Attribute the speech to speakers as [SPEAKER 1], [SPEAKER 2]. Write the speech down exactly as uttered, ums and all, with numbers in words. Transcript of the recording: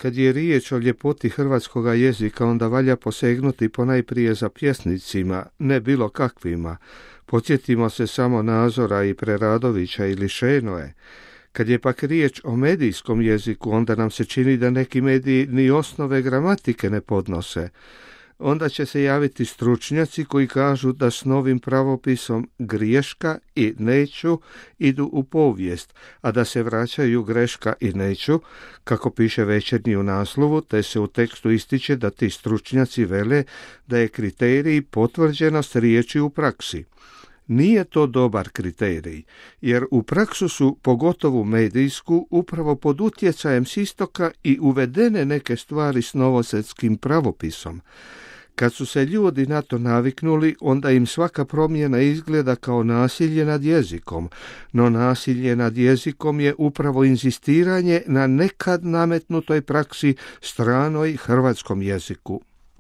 [SPEAKER 1] Kad je riječ o ljepoti hrvatskoga jezika, onda valja posegnuti ponajprije za pjesnicima, ne bilo kakvima. Podsjetimo se samo Nazora i Preradovića ili Šenoe. Kad je pak riječ o medijskom jeziku, onda nam se čini da neki mediji ni osnove gramatike ne podnose. Onda će se javiti stručnjaci koji kažu da s novim pravopisom greška i neću idu u povijest, a da se vraćaju greška i neću, kako piše Večernji u naslovu, te se u tekstu ističe da ti stručnjaci vele da je kriterij potvrđenost riječi u praksi. Nije to dobar kriterij, jer u praksu su, pogotovo medijsku, upravo pod utjecajem s istoka i uvedene neke stvari s novosvjetskim pravopisom. Kad su se ljudi na to naviknuli, onda im svaka promjena izgleda kao nasilje nad jezikom, no nasilje nad jezikom je upravo inzistiranje na nekad nametnutoj praksi stranoj hrvatskom jeziku.